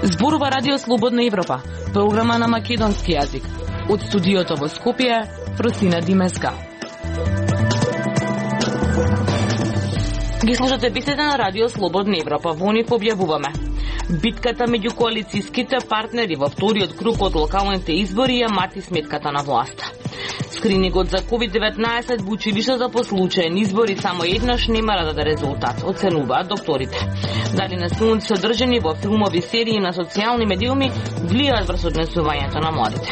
Зборува Радио Слободна Европа, програма на македонски јазик. Од студиото во Скопје, Просина Димеска. Ги слушате бесите на Радио Слободна Европа. Во нив објавуваме: битката меѓу коалицијските партнери во вториот круг од локалните избори ја мати сметката на власта. Скринингот за COVID-19 во училиштата по случаен избори само еднаш нема да даде резултат, оценуваат докторите. Дали насилници содржани во филмови, серии на социјални медиуми влијаат врз однесувањето на младите.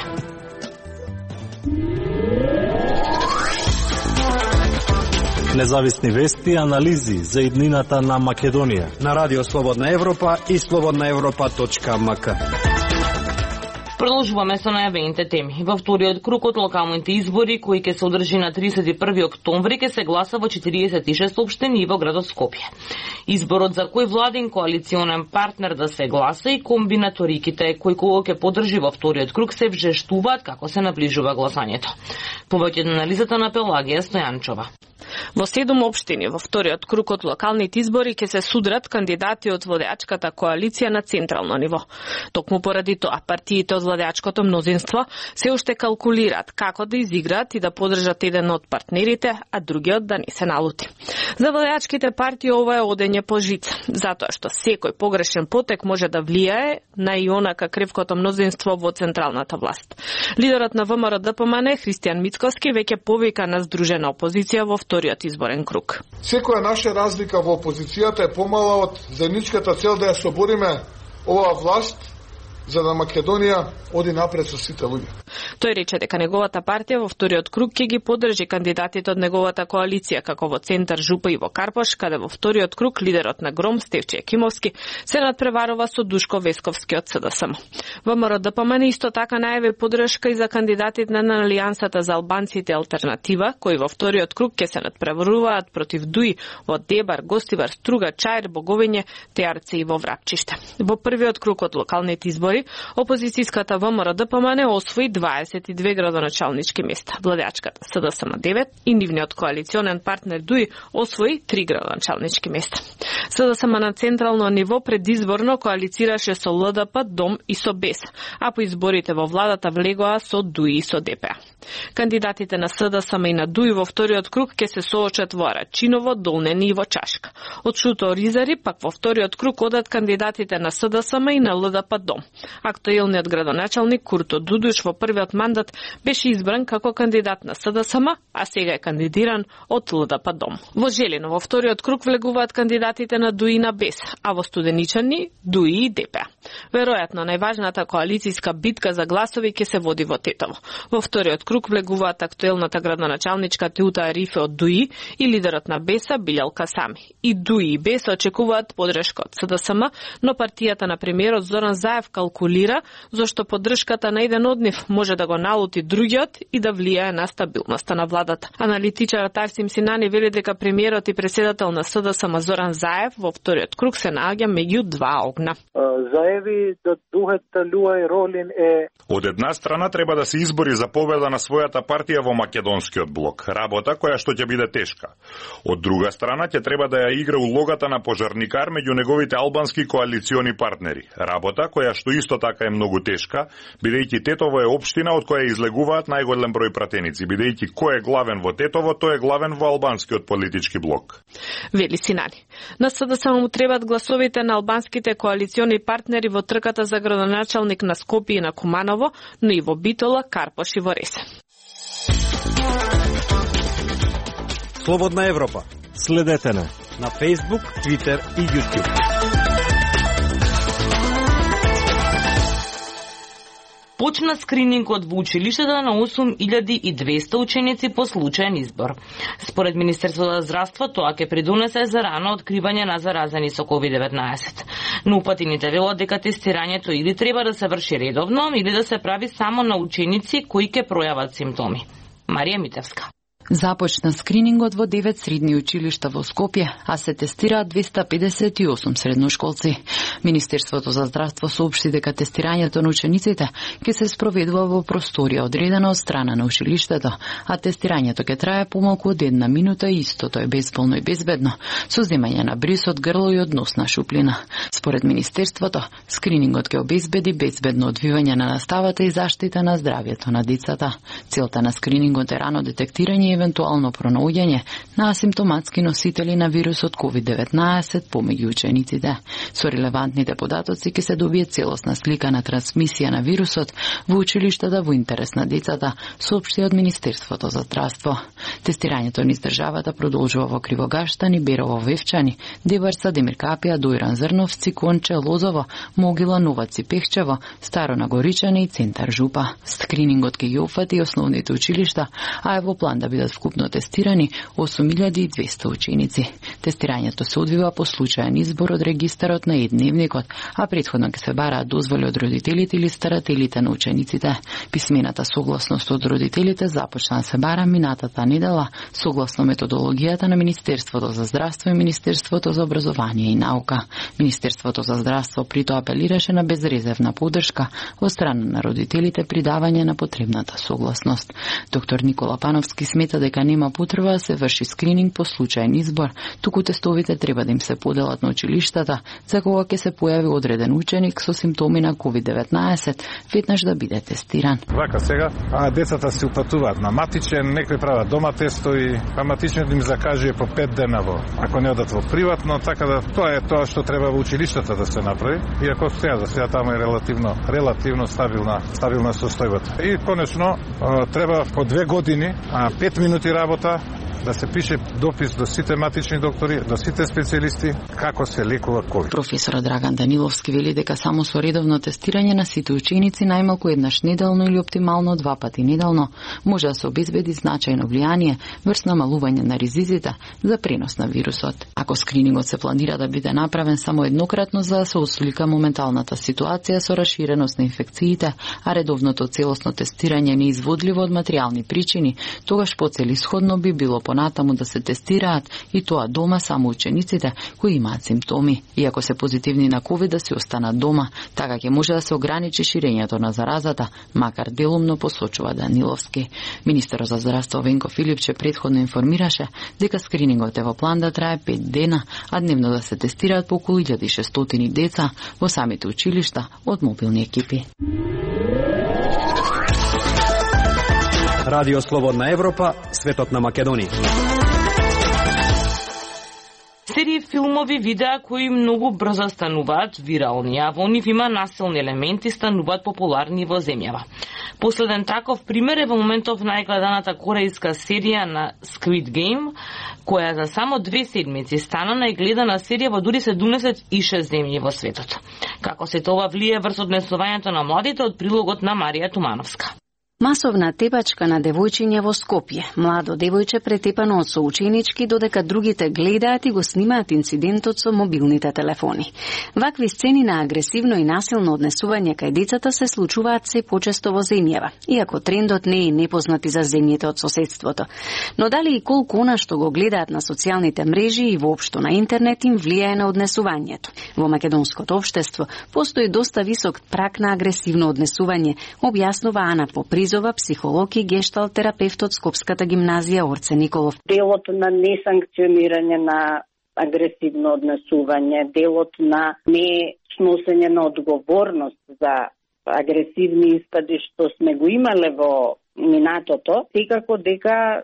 Независни вести и анализи за иднината на Македонија на Радио Слободна Европа и slobodnaevropa.mk. Продолжуваме со најавените теми. Во вториот круг од локалните избори, кои ќе се одржи на 31 октомври, ќе се гласа во 46 општини во градот Скопје. Изборот за кој владин коалиционен партнер да се гласа и комбинаториките кои кого ќе поддржи во вториот круг се вжештуваат како се наближува гласањето. Повеќе на анализата на Пелагија Стојанчова. Во 7 општини во вториот круг од локалните избори ќе се судрат кандидати од владеачката коалиција на централно ниво. Токму поради тоа, партиите од владеачкото мнозинство се уште калкулираат како да изиграат и да поддржат еден од партнерите, а другиот да не се налути. За владеачките партии ова е одење по жица, затоа што секој погрешен потек може да влијае на и онака кревкото мнозинство во централната власт. Лидерот на ВМРО-ДПМН Христијан Мицковски веќе повика на здружена опозиција во вториот изборен круг. Секоја наша разлика во опозицијата е помала од заедничката цел да ја собориме оваа власт за да Македонија оди напред со сите луѓе. Тој рече дека неговата партија во вториот круг ќе ги поддржи кандидатите од неговата коалиција, како во Центар Жупа и во Карпош, каде во вториот круг лидерот на Гром Стефче Екимовски се надпреварува со Душко Весковски од СДСМ. ВМРО-ДПМН исто така најави поддршка и за кандидатите на Алијансата за албанците Алтернатива, кои во вториот круг ќе се надпреваруваат против ДУИ во Дебар, Гостивар, Струга, Чаир, Боговиње, Теарце и во Врапчиште. Во првиот круг од локалните избори опозицијската ВМРО-ДПМН освои 22 градоначалнички места, владеачката СДСМ 9 и нивниот коалиционен партнер ДУИ освои 3 градоначалнички места. СДСМ на централно ниво предизборно коалицираше со ЛДП, Дом и со БЕС, а по изборите во владата влегоа со ДУИ и со ДПА. Кандидатите на СДСМ и на ДУИ во вториот круг ќе се соочат во Арачиново, Долнени и во Чашка. Од Шуто Ризари пак во вториот круг одат кандидатите на СДСМ и на ЛДП Дом. Актуелниот градоначалник Курто Дудуш во првиот мандат беше избран како кандидат на СДСМ, а сега е кандидиран од ЛДП Дом. Во Желино во вториот круг влегуваат кандидатите на ДУИ и на БЕС, а во Студеничани ДУИ и ДПА. Веројатно најважната коалицијска битка за гласови ќе се води во Тетово. Во вториот круг влегуваат актуелната градоначалничка Теута Арифе од ДУИ и лидерот на БЕС-а Билјал Касами. И ДУИ и БЕС очекуваат поддршка од СДСМ, но партијата на премиерот Зоран Заев калкулира зашто поддршката на еден од нив може да го налути другиот и да влијае на стабилноста на владата. Аналитичарот Арсим Синани вели дека премиерот и председател на СДСМ Зоран Заев во вториот круг се наоѓа меѓу два огна. Заеви да духата Луај Ролин е од една страна треба да се избори за победа на својата партија во македонскиот блок, работа која што ќе биде тешка. Од друга страна ќе треба да ја игра улогата на пожарникар меѓу неговите албански коалициони партнери, работа која што исто така е многу тешка, бидејќи Тетово е општина од која излегуваат најголем број пратеници, бидејќи кој е главен во Тетово, тој е главен во албанскиот политички блок. Вели Синани. На СДСМ му требат гласовите на албанските коалициони партнери во трката за градоначалник на Скопје и на Куманово, но и во Битола, Карпош и во Ресе. Слободна Европа. Следете на Facebook, Twitter и YouTube. Почна скринингот во училиштата на 8200 ученици по случаен избор. Според Министерството за здравство, тоа ќе придонесе за рано откривање на заразени со COVID-19. Но упатените велат дека тестирањето или треба да се врши редовно, или да се прави само на ученици кои ќе пројават симптоми. Марија Митевска. Започна скринингот во 9 средни училишта во Скопје, а се тестираат 258 средношколци. Министерството за здравство соопшти дека тестирањето на учениците ќе се спроведува во просторија одредена од страна на училиштето, а тестирањето ќе трае помалку од 1 минута и истото е безболно и безбедно, со земање на бриз од грло и од носна шуплина. Според Министерството, скринингот ќе обезбеди безбедно одвивање на наставата и заштита на здравјето на децата. Целта на скринингот е рано детектирање и евентуално пронаоѓање на асимптоматски носители на вирусот COVID-19 помеѓу учениците. Со релевантните податоци ќе се добие целосна слика на трансмисија на вирусот во училиштата во интерес на децата, соопшти од Министерството за здравство. Тестирањето низ државата продолжува во Кривогаштани, Берово, Вевчани, Дебарца, Демиркапија, Дојран, Зрновци, Конче, Лозово, Могила, Новаци, Пехчево, Старо Нагоричани и Центар Жупа. Скринингот ќе ги опфати основните училишта, а е во план да бидат вкупно тестирани 8200 ученици. Тестирањето се одвива по случаен избор од регистарот на едневникот, а претходно ќе се бараат дозволи од родителите или старателите на учениците. Писмената согласност од родителите започна да се бара минатата недела согласно методологијата на Министерството за здравство и Министерството за образование и наука. Министерството за здравство прито апелираше на безрезервна поддршка од страна на родителите при давање на потребната согласност. Доктор Никола Пановски смета дека нема потреба да се врши скрининг по случаен избор, туку тестовите треба да им се поделат на училиштата за кога ќе се појави одреден ученик со симптоми на COVID-19, веднаш да биде тестиран. Вака сега, децата се упатуваат на матичен, некои прават дома тестови, а матичниот им закажува по 5 дена ако не одат во приватно, така да тоа е тоа што треба во училиштата да се направи. Иако за сега таму е релативно стабилна состојбата. И конечно треба по 2 години, 5 минути работа да се пише допис до сите матични доктори, до сите специјалисти како се лекува ковид. Професорот Драган Даниловски вели дека само со редовно тестирање на сите ученици најмалку еднаш неделно или оптимално 2 пати неделно може да се обезбеди значајно влијание врз намалување на ризиците за пренос на вирусот. Ако скринингот се планира да биде направен само еднократно за да се ослика моменталната ситуација со раширеност на инфекциите, а редовното целосно тестирање неизводливо од материјални причини, тогаш поцелисходно би било понатаму да се тестираат и тоа дома само учениците кои имаат симптоми. Иако се позитивни на COVID да се останат дома, така ќе може да се ограничи ширењето на заразата, макар делумно посочува Даниловски. Министерот за здравство Венко Филипче претходно информираше дека скринингот е во план да трае 5 дена, а дневно да се тестираат по околу 1600 деца во самите училишта од мобилни екипи. Радио Слободна Европа, светот на Македонија. Серии филмови, видеа кои многу брзо стануваат вирални, а во нив има насилни елементи, стануваат популарни во земјава. Последен таков пример е во моментов најгледаната корејска серија на Squid Game, која за само 2 седмици стана најгледана серија во дури 76 земји во светот. Како се тоа влие врз однесувањето на младите од прилогот на Марија Тумановска. Масовна тепачка на девојчиња во Скопје. Младо девојче претепано од соученички, додека другите гледаат и го снимаат инцидентот со мобилните телефони. Вакви сцени на агресивно и насилно однесување кај децата се случуваат се почесто во земјава, иако трендот не е непознат и за земјите од соседството. Но дали и колку она што го гледаат на социјалните мрежи и воопшто на интернет им влијае на однесувањето? Во македонското општество постои доста висок праг на агресивно однесување, објаснува Ана Попризова, психолог и гешталт терапевт од Скопската гимназија Орце Николов. Делот на несанкционирање на агресивно однесување, делот на не сносење на одговорност за агресивни испади што сме го имале во минатото, секако дека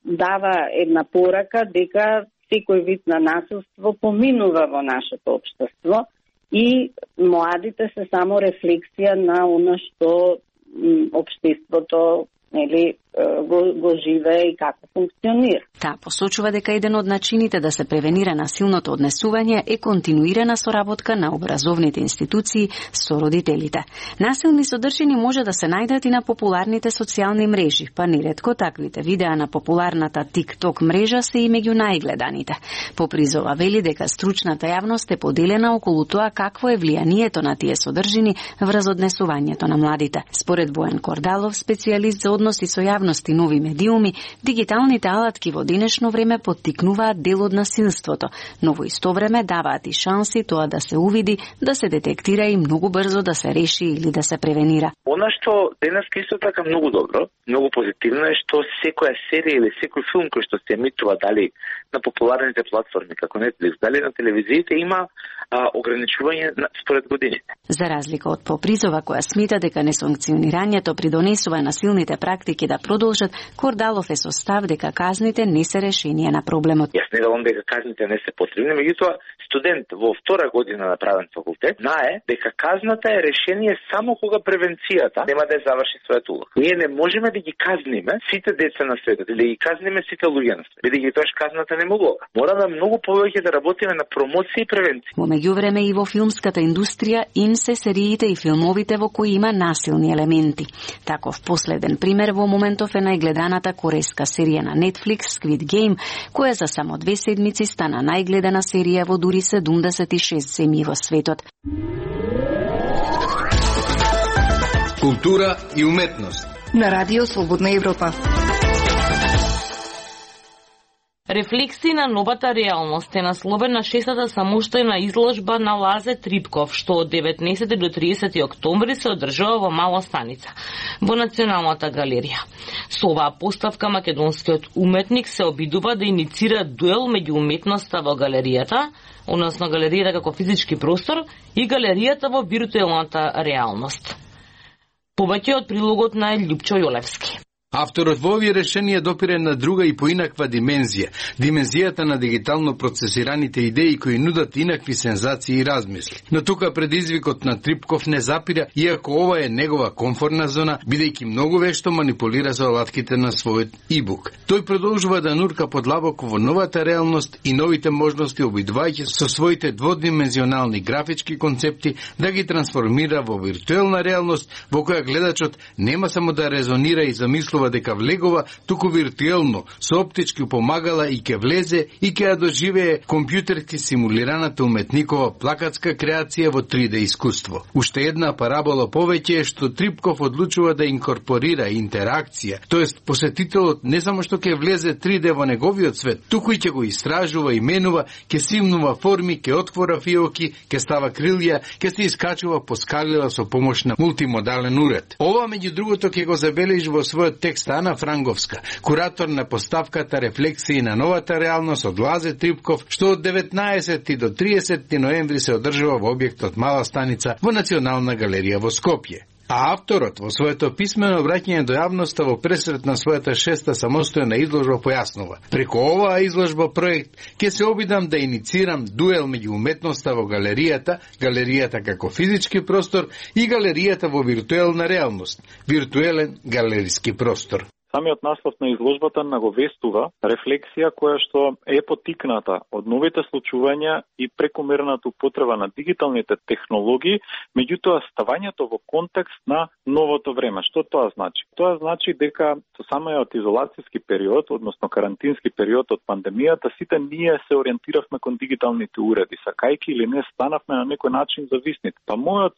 дава една порака дека секој вид на насилство поминува во нашето општество и младите се само рефлексија на она што општеството го живее и како функционира. Таа посочува дека еден од начините да се превенира насилното однесување е континуирана соработка на образовните институции со родителите. Насилни содржини може да се најдат и на популарните социјални мрежи, па неретко таквите видеа на популарната TikTok мрежа се и меѓу најгледаните. Попризова вели дека стручната јавност е поделена околу тоа какво е влијанието на тие содржини врз однесувањето на младите. Според Бојан Кордалов, специјалист за односи со јавност и нови медиуми, дигиталните алатки во денешно време поттикнуваат дел од насилството, но во исто време даваат и шанси тоа да се увиди, да се детектира и многу брзо да се реши или да се превенира. Она што денеска исто така многу добро, многу позитивно е што секоја серија или секој филм кој што се емитува дали на популарните платформи како Netflix, дали на телевизиите има ограничување според годините. За разлика од попризова која смета дека несанкционирањето придонесува на силните практики да продолжат, Кордалов е со став дека казните не се решение на проблемот. Јас не велам дека казните не се потребни, меѓутоа студент во втора година на правен факултет знае дека казната е решение само кога превенцијата нема да ја заврши својата улога. Ние не можеме да ги казниме сите деца на светот или да ги казниме сите луѓе на светот, бидејќи тоа казната не могува. Мора да многу повеќе да работиме на промоција и превенција. Во меѓувреме и во филмската индустрија им се сериите и филмовите во кои има насилни елементи. Таков последен пример во моментов е најгледаната корејска серија на Netflix Squid Game, која за само 2 седмици стана најгледана серија во дури 76 земји во светот. Култура и уметност на Радио Слободна Европа. Рефлексии на новата реалност е насловена 6-та самостојна изложба на Лазе Трипков, што од 19 до 30 октомври се одржува во Мала Станица, во Националната галерија. Со оваа поставка македонскиот уметник се обидува да иницира дуел меѓу уметноста во галеријата, односно галеријата како физички простор, и галеријата во виртуелната реалност. Повеќе од прилогот на Љупчо Јолевски. Авторот во овие решенија допира на друга и поинаква димензија, димензијата на дигитално процесираните идеи кои нудат инакви сензации и размисли. Но тука предизвикот на Трипков не запира, иако ова е негова комфортна зона, бидејќи многу вешто манипулира со алатките на својот ибук. Тој продолжува да нурка подлабоко во новата реалност и новите можности, обидувајќи со своите дводимензионални графички концепти да ги трансформира во виртуелна реалност во која гледачот нема само да резонира и замислува дека влегува, туку виртуелно, со оптички помагала и ќе влезе и ќе ја доживее компјутерски симулираната уметникова плакатска креација во 3D искуство. Уште една парабола повеќе е што Трипков одлучува да инкорпорира интеракција, тоест посетителот не само што ќе влезе 3D во неговиот свет, туку и ќе го истражува и менува, ќе симнува форми, ќе отвора фиоки, ќе става крилја, ќе се искачува по скалила со помош на мултимодален уред. Ова меѓу другото ќе го забележи во својот текст Ана Франговска, куратор на поставката Рефлексии на новата реалност од Лазе Трипков, што од 19 до 30 ноември се одржува во објектот Мала Станица во Национална галерија во Скопје. А авторот во своето писмено обраќање до јавноста во пресрет на својата 6-та самостојна изложба појаснува: преку оваа изложба проект ќе се обидам да иницирам дуел меѓу уметноста во галеријата, галеријата како физички простор и галеријата во виртуелна реалност, виртуелен галериски простор. Самиот наслов на изложбата наговестува рефлексија која што е поттикната од новите случувања и прекомерната употреба на дигиталните технологии, меѓутоа ставањето во контекст на новото време. Што тоа значи? Тоа значи дека со самиот изолацијски период, односно карантински период од пандемијата, сите ние се ориентиравме кон дигиталните уреди, сакајки или не станавме на некој начин зависни. Па мојот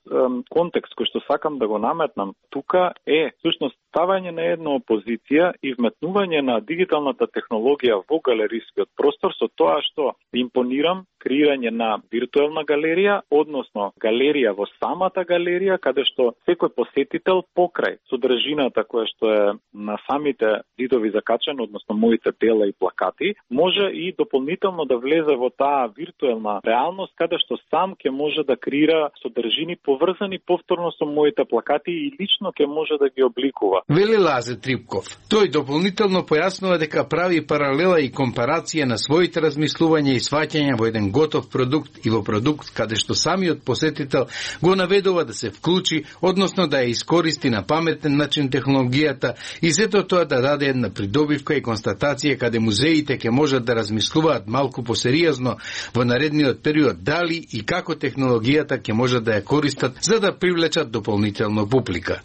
контекст кој што сакам да го наметнам тука е всушност ставање на една опозиција и вметнување на дигиталната технологија во галерискиот простор со тоа што импонирам креирање на виртуелна галерија, односно галерија во самата галерија, каде што секој посетител покрај содржината која што е на самите зидови закачено, односно моите дела и плакати, може и дополнително да влезе во таа виртуелна реалност, каде што сам ќе може да креира содржини поврзани повторно со моите плакати и лично ќе може да ги обликува. Вели Лазе Трипков. Тој дополнително појаснува дека прави паралела и компарација на своите размислувања и сваќања во еден готов продукт и во продукт каде што самиот посетител го наведува да се вклучи, односно да ја искористи на паметен начин технологијата и сето тоа да даде една придобивка и констатација каде музеите ќе можат да размислуваат малку посериозно во наредниот период дали и како технологијата ќе можат да ја користат за да привлечат дополнително публика.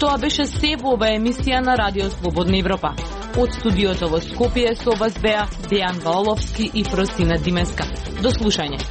Тоа беше се во оваа емисија на Радио Слободна Европа. Од студиото во Скопје со вас беа Дејан Валовски и Фросина Димеска. До слушање.